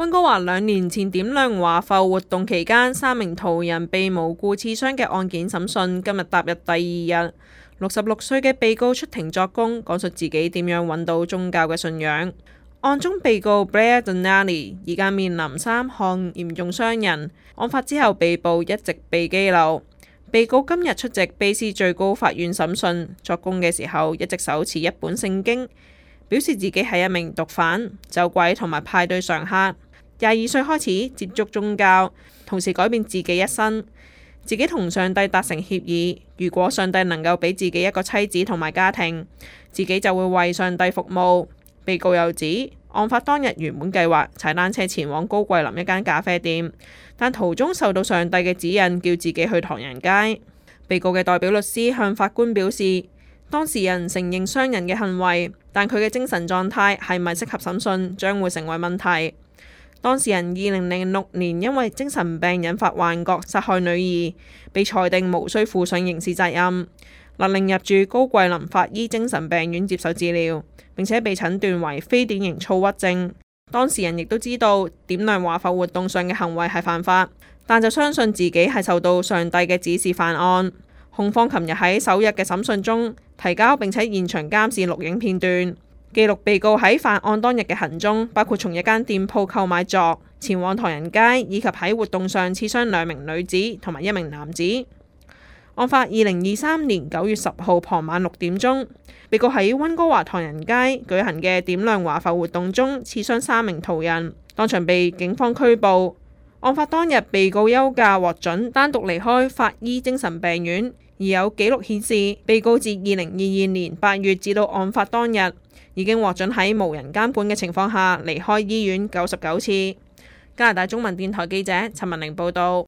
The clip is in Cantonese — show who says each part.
Speaker 1: 溫哥華2年前點亮華埠活動期間3名途人被無故刺傷嘅案件審訊今日踏入第2日。66歲嘅被告出庭作供，講述自己點樣揾到宗教嘅信仰。案中被告 Blair Donnelly 而家面臨3項嚴重傷人，案發之後被捕，一直被羈留。被告今日出席卑斯最高法院審訊，作供嘅時候一直手持一本聖經，表示自己係一名毒販、酒鬼同埋派對常客。22歲開始接觸宗教，同時改變自己一生。自己同上帝達成協議，如果上帝能夠俾自己一個妻子同埋家庭，自己就會為上帝服務。被告又指，案發當日原本計劃踩單車前往高桂林一間咖啡店，但途中受到上帝嘅指引，叫自己去唐人街。被告嘅代表律師向法官表示，當事人承認傷人嘅行為，但佢嘅精神狀態係咪適合審訊，將會成為問題。當事人2006年因為精神病引發幻覺殺害女兒，被裁定無需負上刑事責任，勒令入住高桂林法醫精神病院接受治療，並且被診斷為非典型躁鬱症。當事人亦都知道點亮華埠活動上嘅行為係犯法，但就相信自己係受到上帝嘅指示犯案。控方琴日喺首日嘅審訊中提交並且現場監視錄影片段，記錄被告喺犯案當日嘅行蹤，包括從一間店鋪購買鑿、前往唐人街，以及喺活動上刺傷2名女子同埋1名男子。案發2023年9月10號傍晚6點鐘，被告喺溫哥華唐人街舉行嘅點亮華埠活動中刺傷3名途人，當場被警方拘捕。案發當日，被告休假獲准單獨離開法醫精神病院，而有記錄顯示，被告自2022年8月至到案發當日，已經獲准喺無人監管嘅情況下離開醫院99次。加拿大中文電台記者陳文玲報道。